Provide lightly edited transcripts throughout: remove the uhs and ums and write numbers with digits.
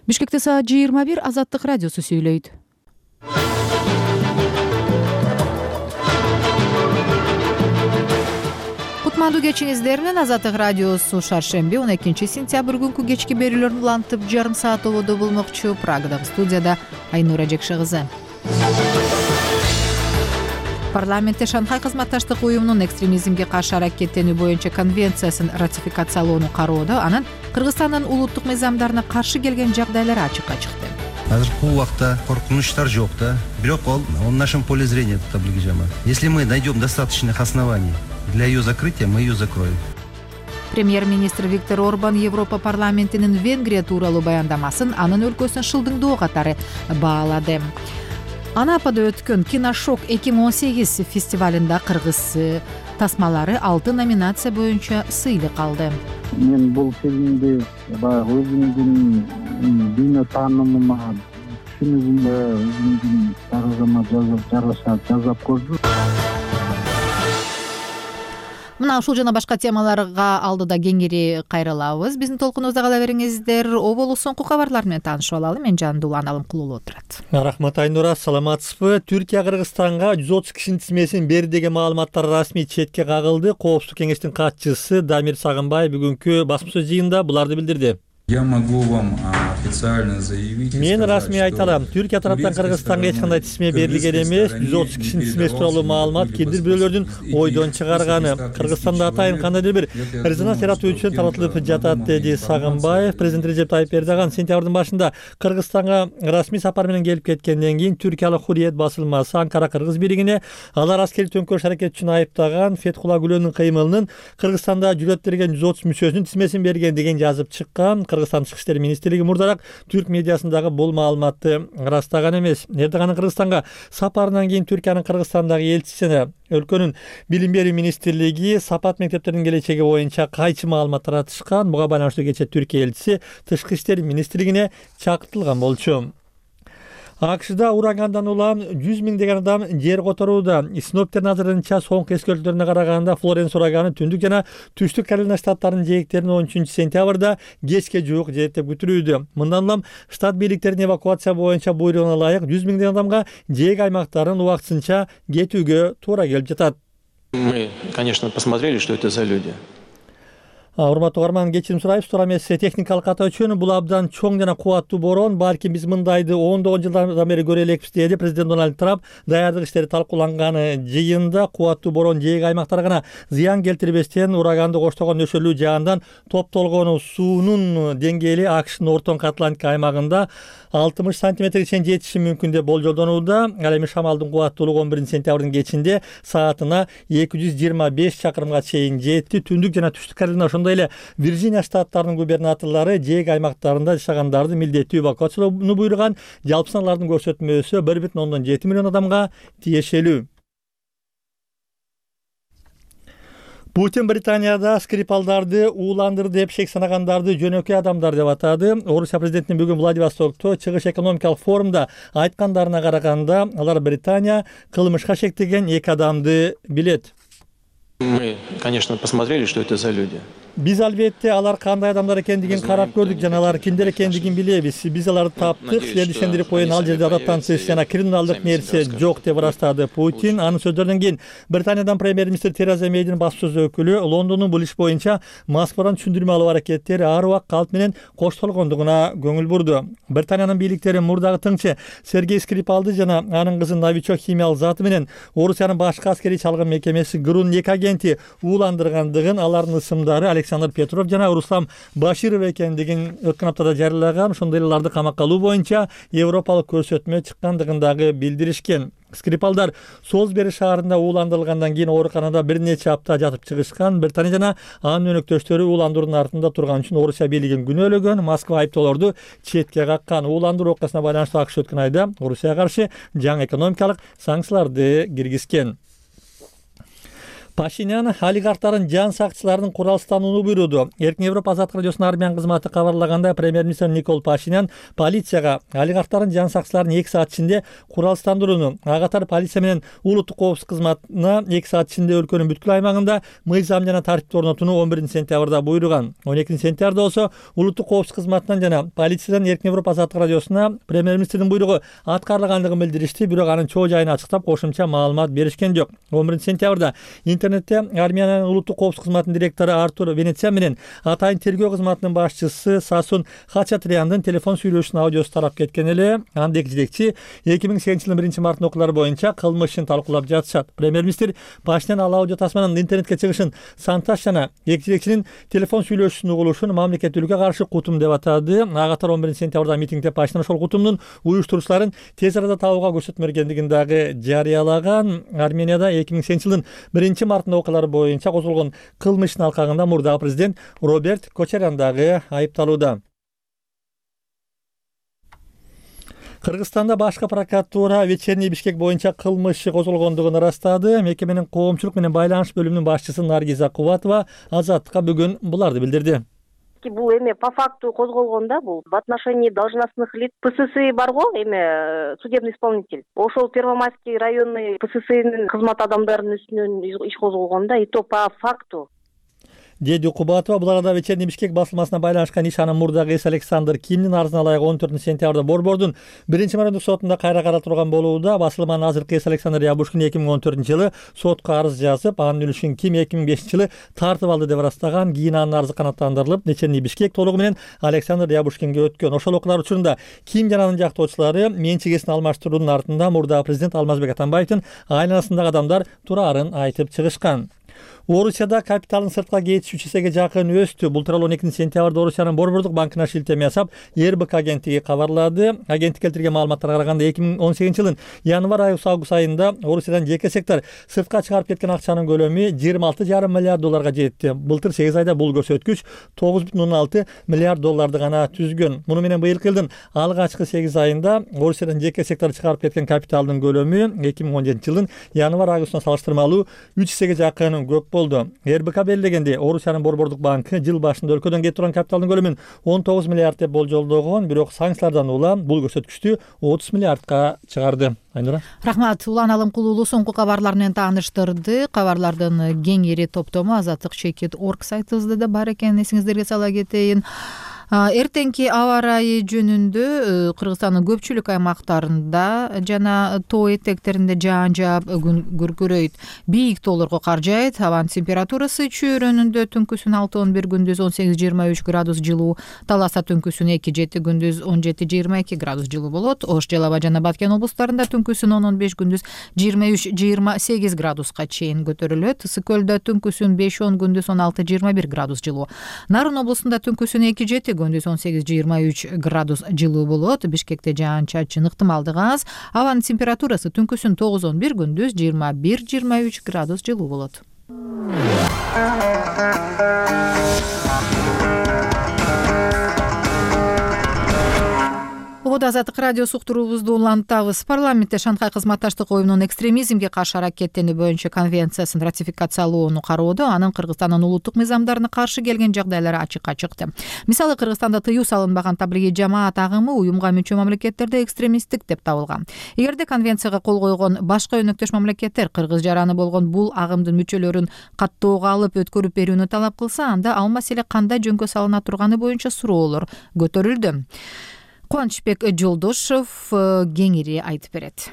Бишкекте саат 21 Азаттык радиосу сүйлөйт. Кутмандуу кечиңиздер менен Азаттык радиосу шаршемби 12 сентябрь күнкү кечки берүүлөрүн улантып жарым саат ободо болмокчу. Прагадагы студияда Айнура Жекше кызы. Парламентте Шанхай кызматташтык уюмунун экстремизмге каршы аракеттенүү боюнча конвенциясын ратификациялоону кароодо анын Кыргызстандын улуттук мыйзамдарына каршы келген жагдайлары ачыкка чыкты. Азыркы убакта коркунучтар жок да, бирок он в нашем поле зрения таблиги жама. Если мы найдем достаточных оснований для ее закрытия, мы ее закроем. Премьер-министр Виктор Орбан Европа парламентинин Венгрия тууралуу баяндамасын анын өлкөсүн шылдыңдоо катары баалады. Анапада өткөн Киношок 2018 фестивалында кыргыз тасмалары 6 номинация боюнча сыйлык алды. Мен бул фильмди өзүмдүн дүйнө таанымыма, түшүнүгүмө, өзүмдүн тарыхыма жасап көрдүм. Мына ушул жана башка темаларга алдыда кеңири кайрылабыз. Биздин толкунубузда кала бериңиздер. Оболу соңку кабарлар менен таанышып алалы. Мен Жандулан Алымкулуу отурат. Рахмат Айнура, саламатсызбы? Түркия Кыргызстанга 130 кишинин тизмесин берди деген маалыматтар расмий четке кагылды. Коопсуздук кеңештин катчысы Дамир Сагынбай бүгүнкү басма сөз жыйынында буларды билдирди. Я могу вам официально заявить. Мен расмий айталам. Түркия тараптан Кыргызстанга эч кандай тизме берилген эмес. 130 кишинин тизмеси тууралуу маалымат кимдир бирөөлөрдүн ойдон чыгарганы. Кыргызстанда атайын кандайдыр бир резонанс яратуу үчүн таратылып жатат, деди Сагынбаев. Президент Режеп Тайып Эрдоган сентябрдын башында Кыргызстанга расмий сапар менен келип кеткенден кийин Түркиялык Хурриет басылмасы Анкара кыргыз бийлигине алар аскерий төңкөрүш аракети үчүн айыптаган Фетхулла Гүлөнүн кыймылынын Кыргызстанда жүрөт берген 130 мүчөсүнүн тизмесин берген деген жазып чыккан. Кыргызстан Тышкы иштер министрлиги мурдараак түрк медиасындагы бул маалыматты ырастаган эмес. Эрдоганын Кыргызстанга сапарынан кийин Түркиянын Кыргызстандагы элчисине өлкөнүн билим берүү министрлиги сапат мектептердин келечеги боюнча кайчы маалымат таратышкан. Буга байланыштуу кечээ Түркия элчиси Тышкы иштер министрлигине чакыртылган болчу. АКШда урагандан улам 100 миңдеген адам жер которууда. Синоптиктердин азырынча соңку эскертүүлөрүнө караганда Флоренс ураганы түндүк жана түштүк Каролина штаттарынын жээктерине 13 сентябрда кечке жуук жээт деп күтүлүүдө. Мындан улам штат бийликтеринин эвакуация боюнча буйругуна ылайык 100 миңдеген адамга жээк аймактарын убактысынча кетүүгө туура келип жатат. Мы, конечно, посмотрели, что это за люди. Урматтуу угарман, кечирим сурайбыз. Туура эмес техникалык ката үчүн бул абдан чоң жана кубаттуу борон. Балким биз мындайды 10 жылдан бери көрө элекпиз, деди президент Дональд Трамп даярдык иштери талкууланганы жыйында. Кубаттуу борон жээк аймактарга гана зыян келтирбестен ураганды коштогон нөшөлүү жаандан топтолгон суунун деңгээли АКШнын Ортоңку Атлантика аймагында 60 сантиметрге чейин жетиши мүмкүн деп болжолдонууда. Ал эми шамалдын кубаттуулугу 11 сентябрдын кечинде саатына 225 чакырымга чейин жетти. Түндүк жана түштүк Каролина, ошондой эле Вирджиния штаттарынын губернаторлору жээк аймактарында жашагандарды милдеттүү эвакуациялоону буйруган. Жалпы саналардын көрсөтмөсү 1,7 миллион адамга тиешелүү. Путин Британияда Скрипалдарды ууландырды деп шек санагандарды жөнөкөй адамдар деп атады. Орусия президентинин бүгүн Владивостокто чыгыш экономикалык форумда айткандарына караганда, алар Британия кылмышка шектеген 2 адамды билет. Мы, конечно, посмотрели, что это за люди. Биз албетте алар кандай адамдар экендигин карап көрдүк жана алар кимдер экендигин билебиз. Биз аларды таптык, силерди ишендирип коеюн, ал жерде адаттан тыш жана криминалдык нерсе жок деп ырастады Путин. Анын сөздөрүнөн кийин Британиядан премьер-министр Тереза Мейдин басма сөз өкүлү Лондондун бул иш боюнча Москвадан түшүндүрмө алуу аракеттери ар убак калп менен коштолгондугуна көңүл бурду. Британиянын бийликтери мурдагы тыңчы Сергей Скрипалды жана анын кызын новичок химиялык заты менен Орусиянын башкы аскерий чалгын мекемеси ГРУнун 2 агенти ууландыргандыгын, алардын ысымдары Александр Петров жана Руслам Баширов экендигин өткөн аптада жарыялаган. Ошондой эле аларды камакка алуу боюнча европалык көрсөтмө чыккандыгын дагы билдиришкен. Скрипалдар Солсбери шаарында ууландырылгандан кийин ооруканада бир нече апта жатып чыгышкан. Британия жана анын өнөктөштөрү ууландыруунун артында турган үчүн Орусия бийлигин күнөөлөгөн. Москва айыптоолорду четке каккан. Ууландыруу окуясына байланыштуу АКШ өткөн айда Орусияга каршы жаңы экономикалык санкцияларды киргизген. Пашинян олигархтардын жан сакчыларын куралсызданууну буйруду. Эркин Европа азаттык радиосунун армян кызматы кабарлаганда, премьер-министр Никол Пашинян полицияга олигархтардын жан сакчыларын 2 саат ичинде куралсыздандырууну, ага катар полиция менен улуттук коопсуздук кызматына 2 саат ичинде өлкөнүн бүткүл аймагында мыйзам жана тартипти орнотууну 11-сентябрда буйруган. 12-сентябрда болсо улуттук коопсуздук кызматынан жана полициядан Эркин Европа азаттык радиосуна премьер-министрдин буйругу аткарылгандыгын билдиришти, бирок анын чоо жайын ачыктап кошумча маалымат беришкен жок. 11-сентябрда интернетте Армениянын улуттук коопсуздук кызматынын директору Артур Венециан менен атайын тергөө кызматынын башчысы Сасун Хачатряндын телефон сүйлөшүүнүн аудиосу тарап кеткен эле. Андык жетекчи 2008-жылдын 1-мартын окуулары боюнча кылмышын талкуулап жатышат. Премьер-министр Пашинян ал аудио тасманын интернетке чыгышын сантаж жана эки жетекчинин телефон сүйлөшүүсүн угулушун мамлекеттүүлүккө каршы кутум деп атады. Ага катар 11-сентябрда митингде Пашинян ошол кутумдун уюштуруучуларын тез арада табууга көрсөтмө бергендигин дагы жарыялаган. Арменияда 2008-жылдын 1-мартында окуулары боюнча козголгон кылмыштын алкагында мурдагы президент Роберт Кочарян дагы айыпталууда. Кыргызстанда башкы прокуратура вечерний Бишкек боюнча кылмыш козголгондугун ырастады. Мекеменин коомчулук менен байланыш бөлүмүнүн башчысы Наргиза Кубатова азаттыкка бүгүн буларды билдирди. Бул эме по факту козголгонда, бул в отношении должностных лиц ПСС барго, эме судебный исполнитель. Ошол Первомайский районный ПССнин кызмат адамдарынын үстүнөн иш козголгонда, и то по факту. Деди Кубатова бул арада вечерний Бишкек басылмасына байланышкан иш анын мурдагы эс Александр Кимдин арызына ылайык 14-сентябрда Борбордун 1-мамлекеттик сотунда кайра каралып болууда. Басылманын азыркы эс Александр Ябушкин 2014-жылы сотко арыз жазып, анын үлүшүн Ким 2005-жылы тартып алды деп ырастаган. Кийин анын арызы канааттандырылып, вечерний Бишкек толугу менен Александр Ябушкинге өткөн. Ошол окуулар учурунда Ким жана анын жактоочулары менчигесин алмаштыруунун артында мурдагы президент Алмазбек Атамбаевдин айланасындагы адамдар тураарын айтып чыгышкан. Орусияда капиталын сыртка кетиш 3 эсеге жакын өстү. Бул тууралуу 12-сентябрда Орусиянын Борбордук банкына шилтеме жасап, РБК агенттиги кабарлады. Агенттик келтирген маалыматтарга караганда 2018-жылдын январь-август айында Орусиядан жеке сектор сыртка чыгарып кеткен акчанын көлөмү 26,5 миллиард долларга жетти. Былтыр 8 айда бул көрсөткүч 9,6 миллиард долларды гана түзгөн. Муну менен быйылкы жылдын алгачкы 8 айында Орусиядан жеке сектор чыгарып кеткен капиталдын көлөмү 2017-жылдын январь-августуна салыштырмалуу 3 эсеге жакын көп болду. РБК белгилегенде, Орусиянын Борбордук банкы жыл башында өлкөдөн кетип турган капиталдын көлөмүн 19 миллиард деп болжолдогон, бирок санкциялардан улам бул көрсөткүчтү 30 миллиардка чыгарды. Айнура. Рахмат. Улан Алымкулуулу соңку кабарлар менен тааныштырды. Кабарлардын кеңири топтому азаттык chekit.org сайтыбызда да бар экенин эсиңиздерге сала кетейин. Эртеңки аба ырайы жөнүндө Кыргызстандын көпчүлүк аймактарында жана тоо этектеринде жаан жаап күн күркүрөйт. Бийик тоолорго каржайт. Абанын температурасы чөйрөнүндө түнкүсүн 6-11, күндүз 18-23 градус жылуу, Таласта түнкүсүн 2-7, күндүз 17-22 градус жылуу болот. Ош, Жалал Абад жана Баткен облустарында түнкүсүн 10-15, күндүз 23-28 градуска чейин көтөрүлөт. Ысык көлдө түнкүсүн 5-10, күндүз 16-21 градус жылуу. Нарын облусунда түнкүсүн 2-7, күндүз 18-23 градус жылуу болот. Бишкекте жаан-чачын ыктымалдыгы аз. Абанын температурасы түнкүсүн 9-11, күндүз 21-23 градус жылуу болот. Убада азаттык радио суктуруубузду улантабыз. Парламентте Шанхай кызматташтык оюнунун экстремизмге каршы аракеттенүү боюнча конвенциясын ратификациялоону кароодо анын Кыргызстандын улуттук мыйзамдарына каршы келген жагдайлары ачыкка чыкты. Мисалы, Кыргызстанда тыюу салынбаган таблиги жамаат агымы уюмга мүчө мамлекеттерде экстремисттик деп табылган. Эгерде конвенцияга кол койгон башка өнөктөш мамлекеттер Кыргыз жараны болгон бул агымдын мүчөлөрүн каттоого алып өткөрүп берүүнү талап кылса, анда ал маселе кандай жөнгө салына турганы боюнча суроолор көтөрүлдү. Кубанычбек Жолдошов кеңири айтып берет.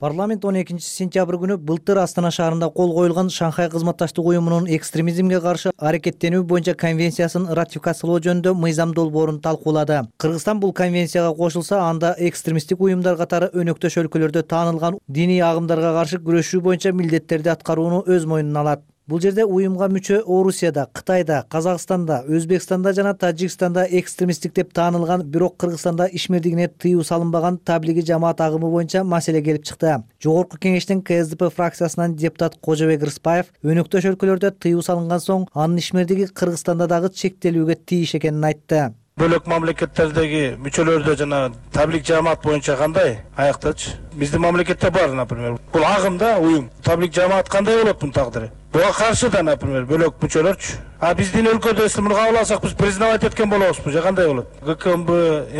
Парламент 12-сентябрь күнү былтыр Астана шаарында кол коюлган Шанхай кызматташтык уюмунун экстремизмге каршы аракеттенүү боюнча конвенциясын ратификациялоо жөнүндө мыйзам долбоорун талкуулады. Кыргызстан бул конвенцияга кошулса, анда экстремисттик уюмдар катары өнөктөш өлкөлөрдө таанылган диний агымдарга каршы күрөшүү боюнча милдеттерди аткарууну өз мойнуна алат. Бул жерде уюмга мүчө Орусияда, Кытайда, Казакстанда, Өзбекстанда жана Тажикстанда экстремисттик деп таанылган, бирок Кыргызстанда ишмердигине тыюу салынбаган таблиги жамаат агымы боюнча маселе келип чыкты. Жогорку кеңештин КСДП фракциясынан депутат Кожобек Рыспаев өнөктөш өлкөлөрдө тыюу салынган соң анын ишмердиги Кыргызстанда дагы чектелүүгө тийиш экенин айтты. Бөлөк мамлекеттердеги мүчөлөрдө жана таблик жамаат боюнча кандай аяктачы? Биздин мамлекетте бар, например. Бул агым да, уюм. Таблик жамаат кандай болот бунун тагдыры? Буга каршы да, например, бөлөк мүчөлөрчү. А биздин өлкөдө муну кабыл алсак, биз признавать эткен болобузбу же кандай болот? ГКМБ,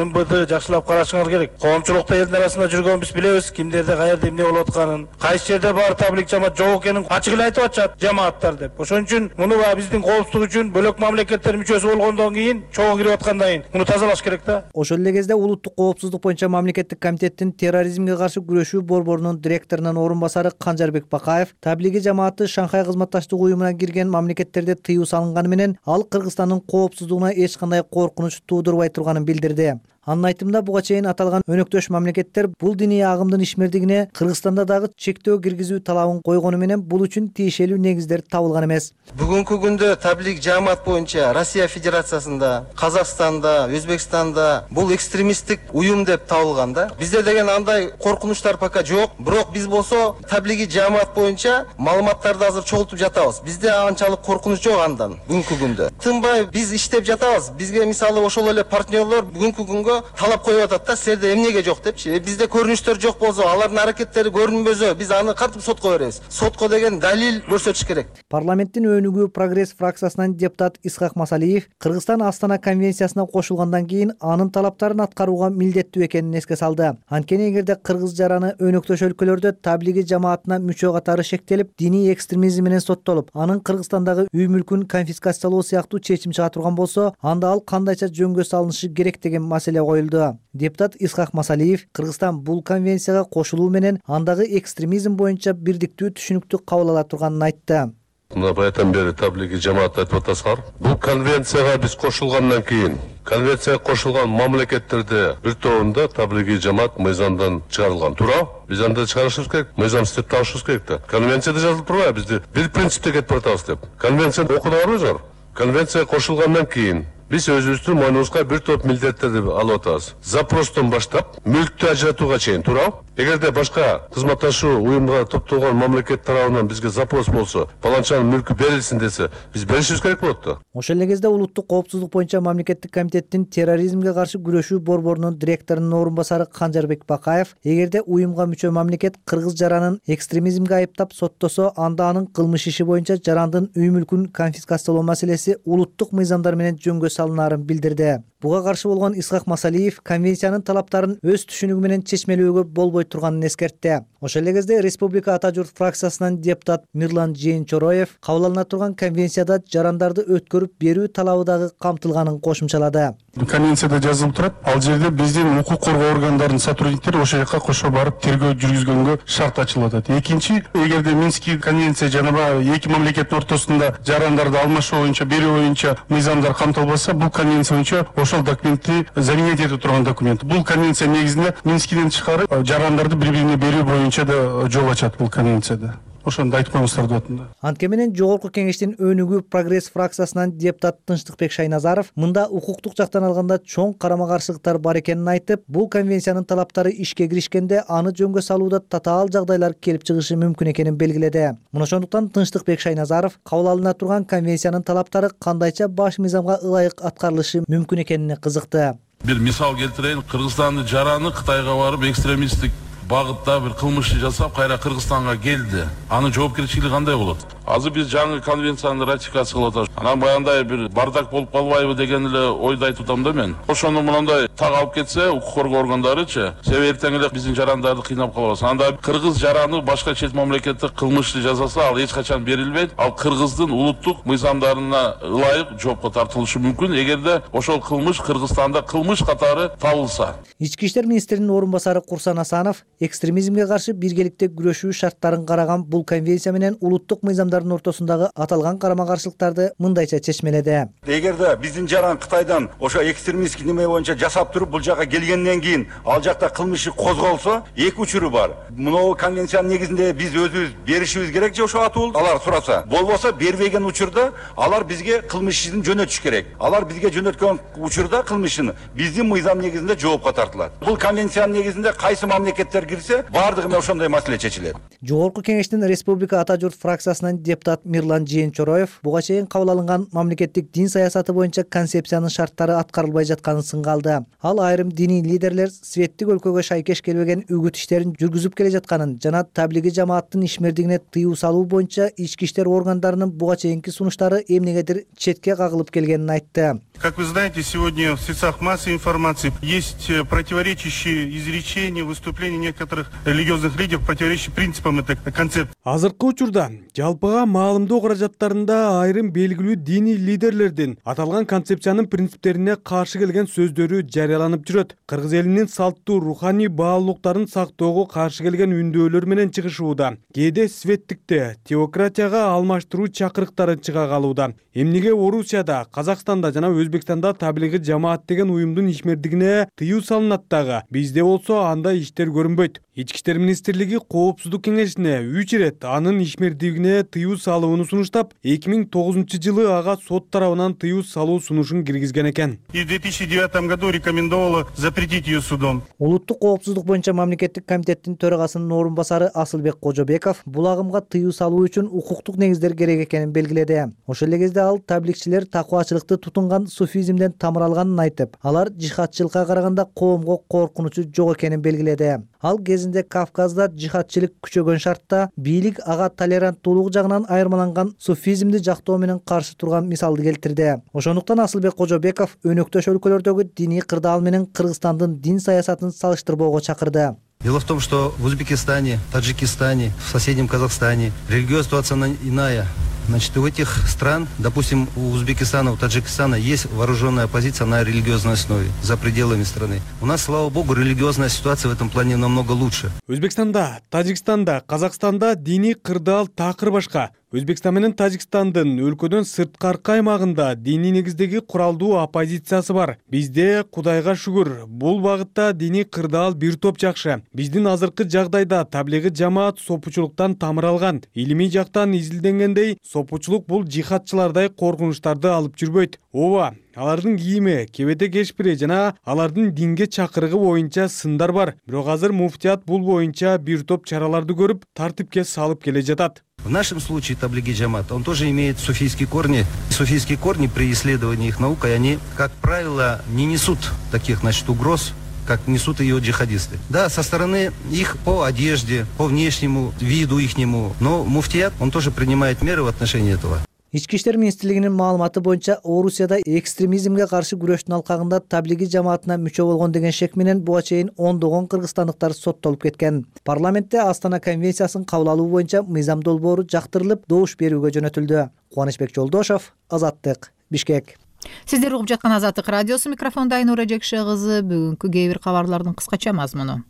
МБД жакшылап карашыңар керек. Коомчулукта элдин арасында жүргөн биз билебиз, кимдерде каерде эмне болуп атканын, кайсы жерде бар таблик жамаат жок экенин ачык эле айтып атышат жамааттар деп. Ошон үчүн муну биздин коопсуздук үчүн бөлөк мамлекеттер мүчөсү болгондон кийин, чогуу кирип аткандан кийин муну тазалаш керек да. Ошол эле кезде улуттук коопсуздук боюнча мамлекеттик комитеттин терроризмге каршы күрөшүү борборунун директорунун орун басары Канжарбек Бакаев таблиги жамааты Шанхай кызматташтык уюмуна кирген мамлекеттерде тыюу салынганы менен ал Кыргызстандын коопсуздугуна эч кандай коркунуч туудурбай турганын билдирди. Анын айтымында буга чейин аталган өнөктөш мамлекеттер бул диний агымдын ишмердигине Кыргызстанда дагы чектөө киргизүү талабын койгону менен бул үчүн тиешелүү негиздер табылган эмес. Бүгүнкү күндө таблик жамаат боюнча Россия Федерациясында, Казакстанда, Өзбекстанда бул экстремисттик уюм деп табылган да. Бизде деген андай коркунучтар пока жок. Бирок биз болсо таблиги жамаат боюнча маалыматтарды азыр чогултуп жатабыз. Бизде анчалык коркунуч жок андан бүгүнкү күндө. Тынбай биз иштеп жатабыз. Бизге мисалы ошол эле партнерлор бүгүнкү күнгө талап коюп атат да, силерде эмнеге жок депчи. Бизде көрүнүштөр жок болсо, алардын аракеттери көрүнбөсө, биз аны кантип сотко беребиз? Сотко деген далил көрсөтүш керек. Парламенттин өнүгүү Прогресс фракциясынан депутат Исхак Масалиев Кыргызстан Астана конвенциясына кошулгандан кийин анын талаптарын аткарууга милдеттүү экенин эске салды. Анткени эгерде кыргыз жараны өнөктөш өлкөлөрдө таблиги жамаатына мүчө катары шектелип, диний экстремизм менен соттолуп, анын Кыргызстандагы үй мүлкүн конфискациялоо сыяктуу чечим чыга турган болсо, анда ал кандайча жөнгө салынышы керек деген маселе коюлду. Депутат Исхак Масалиев Кыргызстан бул конвенцияга кошулуу менен андагы экстремизм боюнча бирдиктүү түшүнүктү кабыл ала турганын айтты. Мына баятан бери таблиги жамаат айтып атасыздар. Бул конвенцияга биз кошулгандан кийин конвенцияга кошулган мамлекеттерде бир тобунда таблиги жамаат мыйзамдан чыгарылган. Туура? Биз анда чыгарышыбыз керек, мыйзам иштеп табышыбыз керек да. Конвенцияда жазылып турбайбы бизди бир принципте кетип баратабыз деп. Конвенцияны окудуңарбы? Конвенцияга кошулгандан кийин биз өзүбүздүн мойнубузга бир топ милдеттерди алып атабыз. Запростон баштап мүлктү ажыратууга чейин, туура? Эгерде башка кызматташуу уюмга топтолгон мамлекет тарабынан бизге запрос болсо, паланчанын мүлкү берилсин десе, биз беришибиз керек болот да. Ошол эле кезде улуттук коопсуздук боюнча мамлекеттик комитеттин терроризмге каршы күрөшүү борборунун директорунун орун басары Канжарбек Бакаев эгерде уюмга мүчө мамлекет кыргыз жаранын экстремизмге айыптап соттосо, анда анын кылмыш иши боюнча жарандын үй мүлкүн конфискациялоо маселеси улуттук мыйзамдар менен жөнгө салынарын билдирди. Буга каршы болгон Исхак Масалиев конвенциянын талаптарын өз түшүнүгү менен чечмелөөгө болбой турганын эскертти. Ошол эле кезде Республика Ата журт фракциясынан депутат Мирлан Жээнчороев кабыл алына турган конвенцияда жарандарды өткөрүп берүү талабы дагы камтылганын кошумчалады. Конвенцияда жазылып турат, ал жерде биздин укук коргоо органдарынын сотрудниктери ошол жака кошо барып тергөө жүргүзгөнгө шарт ачылып атат. Экинчи, эгерде Минский конвенция жана эки мамлекеттин ортосунда жарандарды алмашуу боюнча, берүү боюнча мыйзамдар камтылбаса, бул конвенция боюнча ошол документти заменить этип турган документ. Бул конвенция негизинде Минскиден тышкары жарандарды бири-бирине берүү боюнча да жол ачат бул конвенцияда. Ошондо айтып коюңуздар деп атам да. Антке менен Жогорку кеңештин өнүгүү Прогресс фракциясынан депутат Тынчтыкбек Шайназаров мында укуктук жактан алганда чоң карама-каршылыктар бар экенин айтып, бул конвенциянын талаптары ишке киришкенде аны жөнгө салууда татаал жагдайлар келип чыгышы мүмкүн экенин белгиледи. Мына ошондуктан Тынчтыкбек Шайназаров кабыл алына турган конвенциянын талаптары кандайча баш мыйзамга ылайык аткарылышы мүмкүн экенине кызыкты. Бир мисал келтирейин, Кыргызстандын жараны Кытайга барып экстремисттик багытта бир кылмыш жасап, кайра Кыргызстанга келди. Анын жоопкерчилиги кандай болот? Азыр биз жаңы конвенцияны ратификациялап атабыз. Анан баягындай бир бардак болуп калбайбы деген эле ойду айтып атам да мен. Ошону мындай так алып кетсе, укук коргоо органдарычы, себеби эртең эле биздин жарандарды кыйнап калбасын. Анда кыргыз жараны башка чет мамлекетте кылмышты жасаса, ал эч качан берилбейт. Ал кыргыздын улуттук мыйзамдарына ылайык жоопко тартылышы мүмкүн, эгерде ошол кылмыш Кыргызстанда кылмыш катары табылса. Ички иштер министринин орун басары Курсан Асанов экстремизмге каршы биргеликте күрөшүү шарттарын караган бул конвенция менен улуттук мыйзамдардын ортосундагы аталган карама-каршылыктарды мындайча чечмеледи. Эгерде биздин жаран Кытайдан ошо экстремистский неме боюнча жасап туруп бул жака келгенден кийин ал жакта кылмыш козголсо, эки учуру бар. Мына конвенциянын негизинде биз өзүбүз беришибиз керек же ошо атуулду алар сураса. Болбосо бербеген учурда алар бизге кылмыш ишин жөнөтүш керек. Алар бизге жөнөткөн учурда кылмышын биздин мыйзам негизинде жоопко тартылат. Бул конвенциянын негизинде кайсы мамлекеттер кирсе, баардыгы мына ошондой маселе чечилет. Жогорку кеңештин Республика Ата журт фракциясынан депутат Мирлан Жээнчороев буга чейин кабыл алынган мамлекеттик дин саясаты боюнча концепциянын шарттары аткарылбай жатканын сынга алды. Ал айрым диний лидерлер светтик өлкөгө шайкеш келбеген үгүт иштерин жүргүзүп келе жатканын жана таблиги жамааттын ишмердигине тыюу салуу боюнча ички иштер органдарынын буга чейинки сунуштары эмнегедир четке кагылып келгенин айтты. Как вы знаете, сегодня в средствах массовой информации есть противоречащие изречения, выступления некоторых религиозных лидеров, противоречащие принципам этой концепции. Азыркы учурда жалпыга маалымдоо каражаттарында айрым белгилүү диний лидерлердин аталган концепциянын принциптерине каршы келген сөздөрү жарыяланып жүрөт. Кыргыз элинин салттуу руханий баалуулуктарын сактоого каршы келген үндөөлөр менен чыгышууда. Кээде светтикте теократияга алмаштыруу чакырыктары чыга калууда. Эмнеге Орусияда, Казакстанда жана Өзбекстанда таблиги жамаат деген уюмдун ишмердигине тыюу салынат дагы. Бизде болсо андай иштер көрүнбөйт. Ички иштер министрлиги Коопсуздук кеңешине 3 ирет анын ишмердигине тыюу салууну сунуштап, 2009-жылы ага сот тарабынан тыюу салуу сунушун киргизген экен. И в 2009 году рекомендовала запретить ее судом. Улуттук коопсуздук боюнча мамлекеттик комитеттин төрагасынын орун басары Асылбек Кожобеков бул агымга тыюу салуу үчүн укуктук негиздер керек экенин белгиледи. Ошол эле кезде ал табликчилер такыбачылыкты тутунган суфизмден тамыр алганын айтып, алар жихадчылыкка караганда коомго коркунучу жок экенин белгиледи. Ал кезинде Кавказда жихадчылык күчөгөн шартта бийлик ага толеранттуулук жагынан айырмаланган суфизмди жактоо менен каршы турган мисалды келтирди. Ошондуктан Асылбек Кожобеков өнөктөш өлкөлөрдөгү диний кырдаал менен Кыргызстандын дин саясатын салыштырбоого чакырды. Дело в том, что в Узбекистане, Таджикистане, в соседнем Казахстане религиозная ситуация иная. Значит, у этих стран, допустим, у Узбекистана, у Таджикистана есть вооруженная оппозиция на религиозной основе за пределами страны. У нас, слава богу, религиозная ситуация в этом плане намного лучше. Өзбекстанда, Таджикстанда, Казакстанда диний кырдаал такыр башка. Өзбекстан менен Тажикстандын өлкөдөн сырткаркы аймагында диний негиздеги куралдуу оппозициясы бар. Бизде Кудайга шүгүр, бул багытта диний кырдаал бир топ жакшы. Биздин азыркы жагдайда таблиги жамаат сопучулуктан тамыр алган. Илимий жактан изилденгендей, сопучулук бул жихадчылардай коркунучтарды алып жүрбөйт. Ооба, алардын кийими, кебете кешпири жана алардын динге чакырыгы боюнча сындар бар. Бирок азыр муфтият бул боюнча бир топ чараларды көрүп, тартипке салып келе жатат. В нашем случае таблиги джамат, он тоже имеет суфийские корни. Суфийские корни при исследовании их наукой, они, как правило, не несут таких, значит, угроз, как несут ее джихадисты. Да, со стороны их по одежде, по внешнему виду ихнему, но муфтият, он тоже принимает меры в отношении этого. Ички иштер министрлигинин маалыматы боюнча Орусияда экстремизмге каршы күрөштүн алкагында таблиги жамаатына мүчө болгон деген шек менен буга чейин ондогон кыргызстандыктар соттолуп кеткен. Парламентте Астана конвенциясын кабыл алуу боюнча мыйзам долбоору жактырылып, добуш берүүгө жөнөтүлдү. Кубанычбек Жолдошов, Азаттык, Бишкек. Сиздер угуп жаткан Азаттык радиосу, микрофондо Айнура Жекше кызы. Бүгүнкү кээ бир кабарлардын кыскача мазмуну.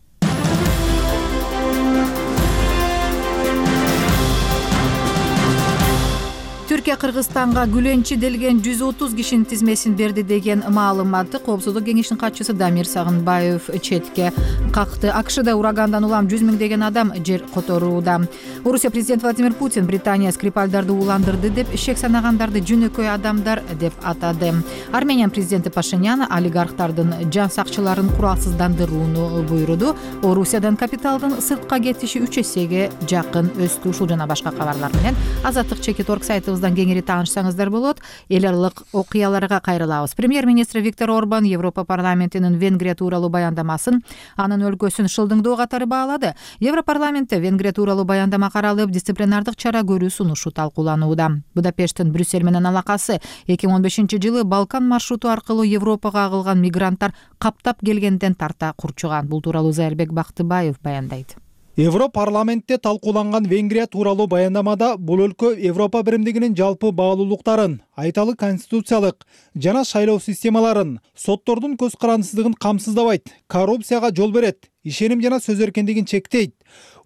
Түркия Кыргызстанга күлөнчү делген 130 кишинин тизмесин берди деген маалыматты Коопсуздук кеңешинин катчысы Дамир Сагынбаев четке какты. АКШда урагандан улам 100 миңдеген адам жер которууда. Орусия президенти Владимир Путин Британия Скрипальдарды уландырды деп шек санагандарды жөнөкөй адамдар деп атады. Армения президенти Пашинян олигархтардын жан сакчыларын куралсыздандырууну буйруду. Орусиядан капиталдын сыртка кетиши 3 эсеге жакын өстү. Ушул жана башка кабарлар менен Азаттык Чекит.org сайтыбыздан кеңири таанышсаңыздар болот. Эл аралык окуяларга кайрылабыз. Премьер-министр Виктор Орбан Европа парламентинин Венгрия тууралуу баяндамасын анын өлкөсүн шылдыңдоо катары баалады. Европарламентте Венгрия тууралуу баяндама каралып, дисциплинардык чара көрүү сунушу талкууланууда. Будапешттин Брюссель менен алакасы 2015-жылы Балкан маршруту аркылуу Европага агылган мигранттар каптап келгенден тарта курчуган. Бул тууралуу Зайырбек Бактыбаев баяндайт. Европарламентте талкууланган Венгрия тууралуу баяндамада бул өлкө Европа биримдигинин жалпы баалуулуктарын, айталы конституциялык жана шайлоо системаларын, соттордун көз карандысыздыгын камсыздабайт, коррупцияга жол берет, ишеним жана сөз эркиндигин чектейт,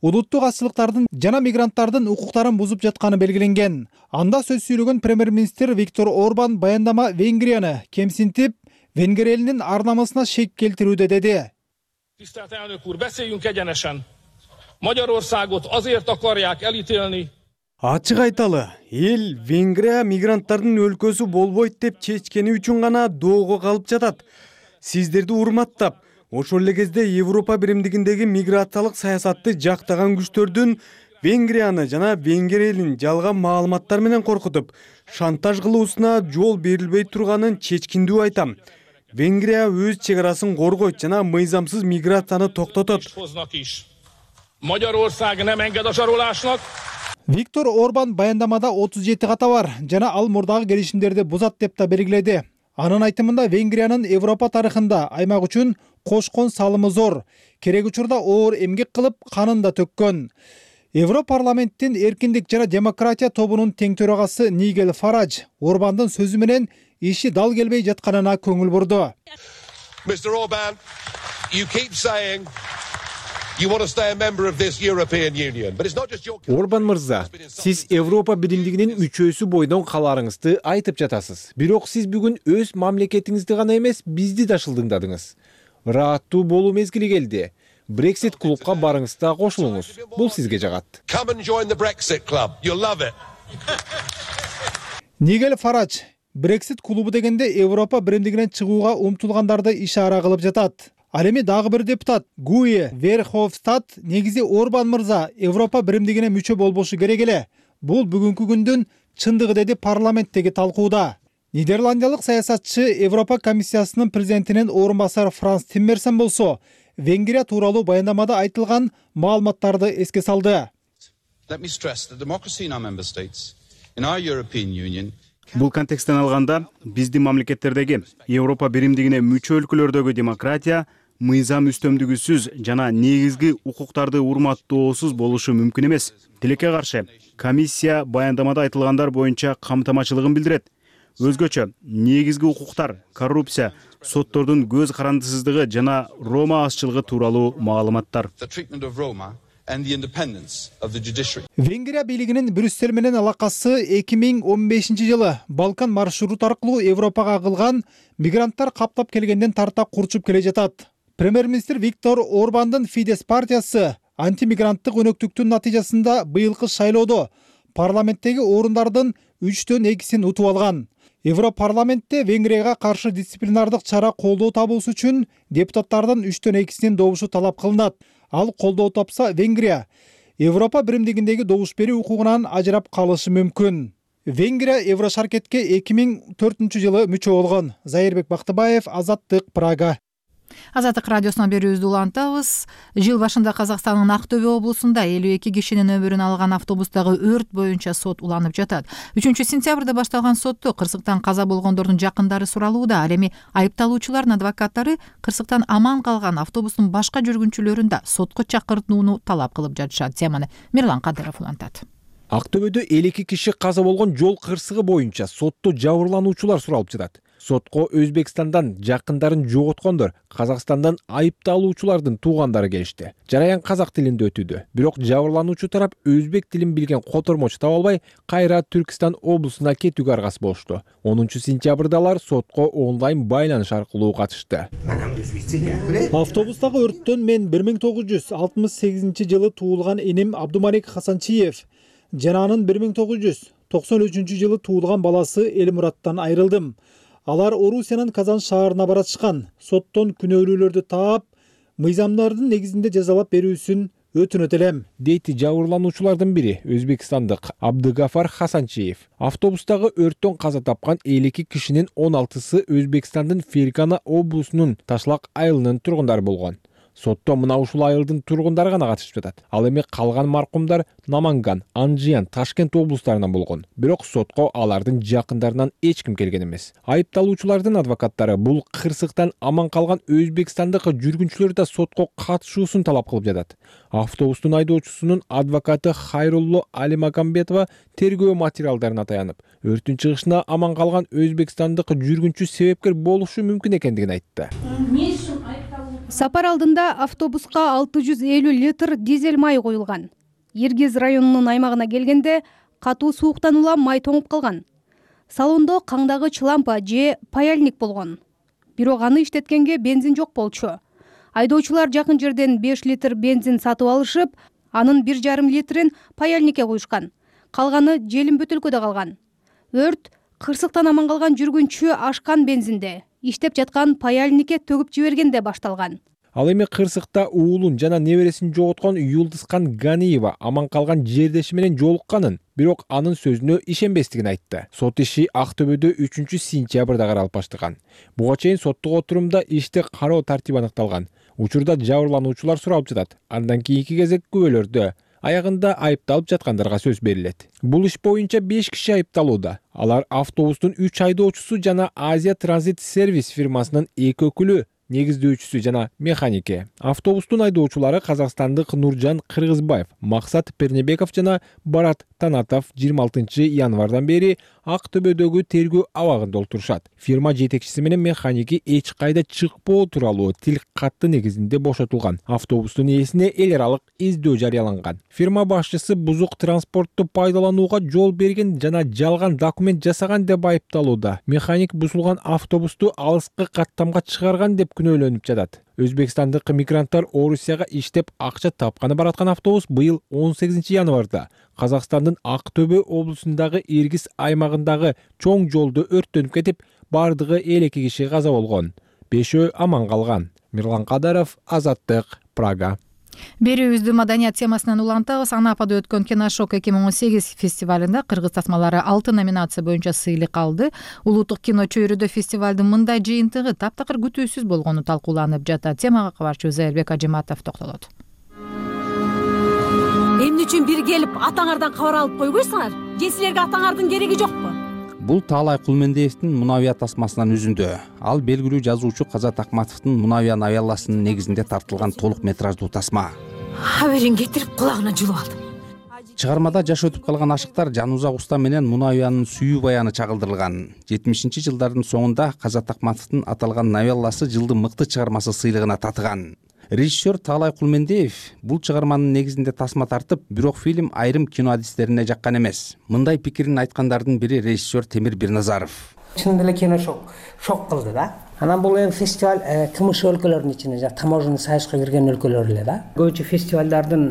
улуттук азчылыктардын жана мигранттардын укуктарын бузуп жатканы белгиленген. Анда сөз сүйлөгөн премьер-министр Виктор Орбан баяндама Венгрияны кемсинтип, Венгер элинин ар намысына шек келтирүүдө деди. Tisztelt elnök úr, beszéljünk egyenesen. Magyarországot azért akarják elítélni. Ачык айталы, эл Венгрия мигранттардын өлкөсү болбойт деп чечкени үчүн гана доого калып жатат. Сиздерди урматтап, Ошол эле кезде Европа биримдигиндеги миграциялык саясатты жактаган күчтөрдүн Венгрияны жана Венгрия элин жалган маалыматтар менен коркутуп, шантаж кылуусуна жол берилбей турганын чечкиндүү айтам. Венгрия өз чек арасын коргойт жана мыйзамсыз миграцияны токтотот. Виктор Орбан баяндамада 37 ката бар жана ал мурдагы келишимдерди бузат деп да белгиледи. Анын айтымында Венгриянын Европа тарыхында аймак үчүн кошкон салымы зор, керек учурда оор эмгек кылып, канын да төккөн. Европарламенттин эркиндик жана демократия тобунун тең төрагасы Нигел Фарадж Орбандын сөзү менен иши дал келбей жатканына көңүл бурду. Mr. Orban, you keep saying you want to stay a member of this European Union, but it's not just your... Орбан мырза, сиз Европа биримдигинин мүчөсү бойдон каларыңызды айтып жатасыз. Бирок сиз бүгүн өз мамлекетиңизди гана эмес, бизди да шылдыңдадыңыз. Ырааттуу болуу мезгили келди. Brexit клубка барыңыз да кошулуңуз. Бул сизге жагат. Come and join the Brexit club. You'll love it. Нигел Фарадж Brexit клубу дегенде Европа биримдигинен чыгууга умтулгандарды ишара кылып жатат. Ал эми дагы бир депутат Гуи Верховстад негизи Орбан мырза Европа биримдигине мүчө болбошу керек эле. Бул бүгүнкү күндүн чындыгы деди парламенттеги талкууда. Нидерландиялык саясатчы Европа комиссиясынын президентинин орун басары Франс Тиммерсен болсо Венгрия тууралуу баяндамада айтылган маалыматтарды эске салды. Бул контексттен алганда, биздин мамлекеттердеги Европа биримдигине мүчө өлкөлөрдөгү демократия мыйзам үстөмдүгүсүз жана негизги укуктарды урматтоосуз болушу мүмкүн эмес. Тилекке каршы, комиссия баяндамада айтылгандар боюнча камтамачылыгын билдирет. Өзгөчө, негизги укуктар, коррупция, соттордун көз карандысыздыгы жана Рома азчылыгы тууралуу маалыматтар. Венгрия бийлигинин Брюссель менен алакасы 2015-жылы Балкан маршрут аркылуу Европага кылган мигранттар каптап келгенден тарта курчуп келе жатат. Премьер-министр Виктор Орбандын Фидес партиясы антимигранттык өнөктүктүн натыйжасында быйылкы шайлоодо парламенттеги орундардын 3/2 утуп алган. Европарламентте Венгрияга каршы дисциплинардык чара колдоо табуусу үчүн депутаттардын 3/2 добушу талап кылынат. Ал колдоо тапса, Венгрия Европа биримдигиндеги добуш берүү укугунан ажырап калышы мүмкүн. Венгрия Еврошаркетке 2004-жылы мүчө болгон. Зайырбек Бактыбаев, Азаттык, Прага. Азаттык радиосуна берүүбүздү улантабыз. Жыл башында Казакстандын Актөбе облусунда 52 кишинин өмүрүн алган автобустагы өрт боюнча сот уланып жатат. 3-сентябрда башталган сотто кырсыктан каза болгондордун жакындары суралууда. Ал эми айыпталуучулардын адвокаттары кырсыктан аман калган автобустун башка жүргүнчүлөрүн да сотко чакыртууну талап кылып жатышат. Теманы Мирлан Кадыров улантат. Актөбөдө 52 киши каза болгон жол кырсыгы боюнча сотто жабырлануучулар суралып жатат. Сотко Өзбекстандан жакындарын жоготкондор, Казакстандан айыпталуучулардын туугандары келишти. Жараян казак тилинде өтүүдө. Бирок жабырлануучу тарап өзбек тилин билген котормочу таба албай, кайра Түркистан облусуна кетүүгө аргасыз болушту. 10-сентябрда алар сотко онлайн байланыш аркылуу катышты. Автобустагы өрттөн мен 1968-жылы туулган энем Абдумалик Хасанчиев жана анын 1993-жылы туулган баласы Элмураттан айрылдым. Алар Орусиянын Казан шаарына баратышкан. Соттон күнөөлүүлөрдү таап, мыйзамдардын негизинде жазалап берүүсүн өтүнөт элем, дейт жабырлануучулардын бири, өзбекстандык Абдыгафар Хасанчиев. Автобустагы өрттөн каза тапкан 52 кишинин 16сы Өзбекстандын Фергана облусунун Ташлак айылынын тургундары болгон. Сотто мына ушул айылдын тургундары гана катышып жатат. Ал эми калган маркумдар Наманган, Анжиян, Ташкент облустарынан болгон. Бирок сотко алардын жакындарынан эч ким келген эмес. Айыпталуучулардын адвокаттары бул кырсыктан аман калган өзбекстандык жүргүнчүлөр да сотко катышуусун талап кылып жатат. Автобустун айдоочусунун адвокаты Хайрулло Алимагамбетова тергөө материалдарына таянып, өрттүн чыгышына аман калган өзбекстандык жүргүнчү себепкер болушу мүмкүн экендигин айтты. Сапар алдында автобуска 650 литр дизель май коюлган. Иргиз районунун аймагына келгенде катуу сууктан улам май тоңуп калган. Салондо каңдагыч лампа же паяльник болгон. Бирок аны иштеткенге бензин жок болчу. Айдоочулар жакын жерден 5 литр бензин сатып алышып, анын 1,5 литрин паяльникке коюшкан. Калганы желим бөтөлкөдө калган. Өрт кырсыктан аман калган жүргүнчү ашкан бензинде иштеп жаткан паяльникке төгүп жибергенде башталган. Ал эми кырсыкта уулун жана небересин жоготкон Юлдызкан Ганиева аман калган жердеши менен жолукканын, бирок анын сөзүнө ишенбестигин айтты. Сот иши Актөбөдө 3-сентябрда каралып баштаган. Буга чейин соттук отурумда ишти кароо тартиби аныкталган. Учурда жабырлануучулар суралып жатат. Андан кийинки кезек күбөлөрдө. Аягында айыпталып жаткандарга сөз берилет. Бул иш боюнча 5 киши айыпталууда. Алар автобустун 3 айдоочусу жана Азия Транзит Сервис фирмасынын 2 өкүлү, негиздөөчүсү жана механике. Автобустун айдоочулары казакстандык Нуржан Кыргызбаев, Максат Пернебеков жана Барат Танатов 26 январдан бери Актөбөдөгү тергөө абагында олтурушат. Фирма жетекчиси менен механики эч кайда чыкпоо тууралуу тил катты негизинде бошотулган. Автобустун ээсине эл аралык издөө жарыяланган. Фирма башчысы бузук транспортту пайдаланууга жол берген жана жалган документ жасаган деп айыпталууда. Механик бузулган автобусту алыскы каттамга чыгарган деп күнөөлөнүп жатат. Өзбекстандык мигранттар Орусияга иштеп акча тапканы бараткан автобус быйыл 18 январда Казакстандын Актөбө облусундагы Иргиз аймагындагы чоң жолдо өрттөнүп кетип, бардыгы 52 киши каза болгон. 5-өө аман калган. Мирлан Кадаров, Азаттык, Прага. Берүүбүздү маданият темасынан улантабыз. Анапада өткөн Киношок 2018 фестивалында кыргыз тасмалары 6 номинация боюнча сыйлык алды. Улуттук кино чөйрөдө фестивалдын мындай жыйынтыгы таптакыр күтүүсүз болгону талкууланып жатат. Темага кабарчыбыз Элбек Ажиматов токтолот. Эмне үчүн бир келип атаңардан кабар алып койбойсуңар? Же силерге атаңардын кереги жокпу? Бул Таалай Кулмендиевдин Мунавия тасмасынан үзүндү. Ал белгилүү жазуучу Казат Акматовдун Мунавия новелласынын негизинде тартылган толук метраждуу тасма. Аберин кетирип кулагына жылып алдым. Чыгармада жаш өтүп калган ашыктар Жанузак Уста менен Мунавиянын сүйүү баяны чагылдырылган. 70-жылдардын соңунда Казат Акматовдун аталган новелласы жылдын мыкты чыгармасы сыйлыгына татыган. Режиссер Таалай Кулмендиев бул чыгарманын негизинде тасма тартып, бирок фильм айрым кино адистерине жаккан эмес. Мындай пикирин айткандардын бири режиссер Темир Бирназаров. Чын эле Киношок шок кылды да. Анан бул эми фестиваль КМШ өлкөлөрүнүн ичинде, таможенный союзга кирген өлкөлөр эле да. Көбүнчө фестивалдардын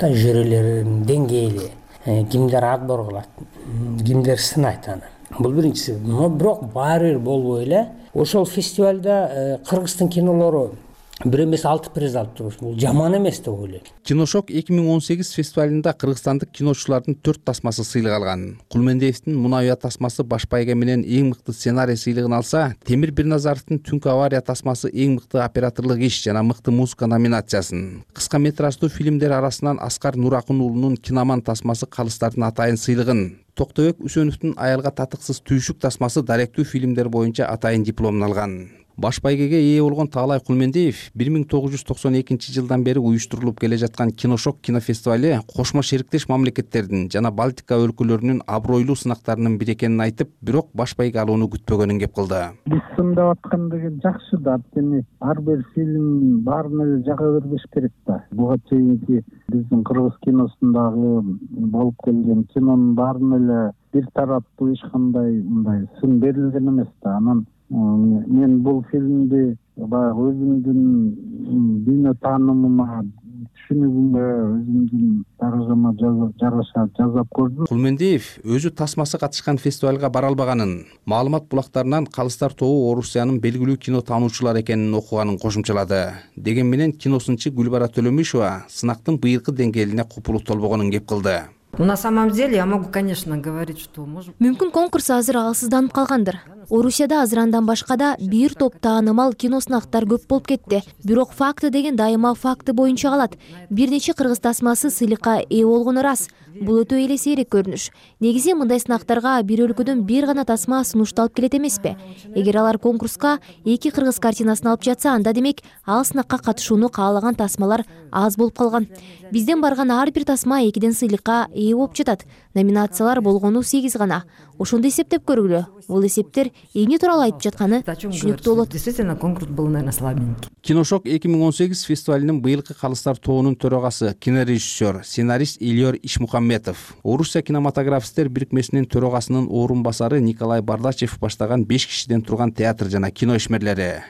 жюрилеринин деңгээли, кимдер отбор кылат, кимдер сынайт аны. Бул биринчиси. Бирок баары бир болбой эле ошол фестивалда Кыргыздын кинолору бир эмес 6 приз алып турушт. Бул жаман эмес деп ойлойм. Киношок 2018 фестивалында кыргызстандык киночулардын 4 тасмасы сыйлык алган. Кулмендиевдин Мунавия тасмасы баш байга менен эң мыкты сценарий сыйлыгын алса, Темир Бирназаровдун Түнкү авария тасмасы эң мыкты операторлук иш жана мыкты музыка номинациясын. Кыска метраждуу фильмдер арасынан Аскар Нуракун уулунун Киноман тасмасы калыстардын атайын сыйлыгын, Токтобек Үсөновдун Аялга татыксыз түйшүк тасмасы даректүү фильмдер боюнча атайын дипломун алган. Баш байгеге ээ болгон Таалай Кулмендиев 1992 жылдан бери уюштурулуп келе жаткан Киношок кинофестивали кошмо шериктеш мамлекеттердин жана Балтика өлкөлөрүнүн абройлуу сынактарынын бири экенин айтып, бирок баш байге алууну күтпөгөнүн кеп кылды. Биз сындап аткандыгы жакшы да, анткени ар бир фильм баарына эле жага бербеш керек да. Буга чейинки биздин кыргыз киносундагы болуп келген кинонун баарына эле бир тараптуу эч кандай мындай сын берилген эмес да. Анан мен бул фильмди баягы өзүмдүн дүйнө таанымыма, түшүнүгүмө, өзүмдүн даражама жараша жасап көрдүм. Кулмендиев өзү тасмасы катышкан фестивалга бара албаганын, маалымат булактарынан калыстар тобу Орусиянын белгилүү кино таануучулары экенин окуганын кошумчалады. Деген менен киносунчу Гүлбара Төлөмишова сынактын быйылкы деңгээлине купулук толбогонун кеп кылды. На самом деле я могу, конечно, говорить, что можем. Мүмкүн конкурс азыр алсызданып калгандыр. Орусияда азырандан башка да бир топ таанымал киносынактар көп болуп кетти. Бирок факты деген дайыма факты боюнча калат. Бир нече кыргыз тасмасы сыйлыкка ээ болгону рас. Бул өтө эле сейрек көрүнүш. Негизи мындай сынактарга бир өлкөдөн бир гана тасма сунушталып келет эмеспи? Эгер алар конкурска 2 кыргыз картинасын алып жатса, анда демек ал сынакка катышууну каалаган тасмалар аз болуп калган. Бизден барган ар бир тасма 2ден сыйлыкка ээ болуп жатат. Номинациялар болгону 8 гана. Ошондо эсептеп көргүлө. Бул эсептер эмне тууралуу айтып жатканы түшүнүктүү болот. Действительно, конкурс был, наверное, слабенький. Киношок 2018 фестивалинин быйылкы калыстар тобунун төрагасы, кинорежиссер, сценарист Ильёр Ишмухамметов, Орусия кинематографисттер бирикмесинин төрагасынын орун басары Николай Бардачев баштаган 5 кишиден турган театр жана кино ишмерлери.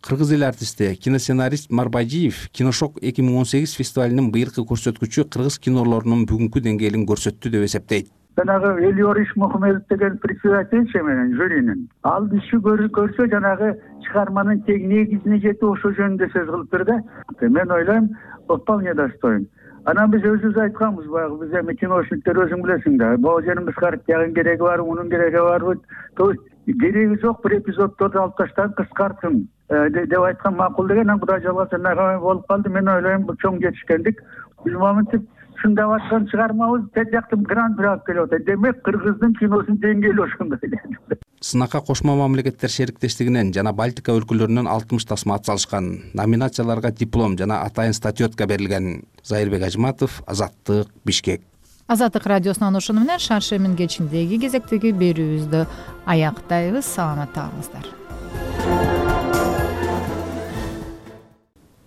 Кыргыз эл артисти, киносценарист Марбайжиев Киношок 2018 фестивалинин быйылкы көрсөткүчү кыргыз кинолорунун бүгүнкү деңгээлин көрсөттү деп эсептейт. жанагы Элиориш Мухамедов деген председательчи менен жюринин ал иши көрсө жанагы чыгарманын тең негизине жетип ошол жөнүндө сөз кылыптыр да. Мен ойлойм вполне достоин. Анан биз өзүбүз айтканбыз, баягы биз эми киношниктер өзүң билесиң да, бул жерин кыскартып тягын кереги бар, мунун кереги барбы? То есть кереги жок, бир эпизоддорду алып таштагын кыскарткын деп айткан макул деген. Анан Кудай жалгаса нагамай болуп калды. Мен ойлойм бул чоң жетишкендик. Биз моментип чындап аткан чыгармабыз тет жактан гран-при алып келип атат. Демек Кыргыздын киносунун деңгээли ошондой. Сынакка кошмо мамлекеттер шериктештигинен жана Балтика өлкөлөрүнөн 60 тасма атсалышкан. Номинацияларга диплом жана атайын статуэтка берилген. Зайырбек Ажматов, Азаттык, Бишкек. Азаттык радиосунан ошону менен Шаршемин кечиндеги кезектеги берүүбүздү аяктайбыз. Саламатта калыңыздар.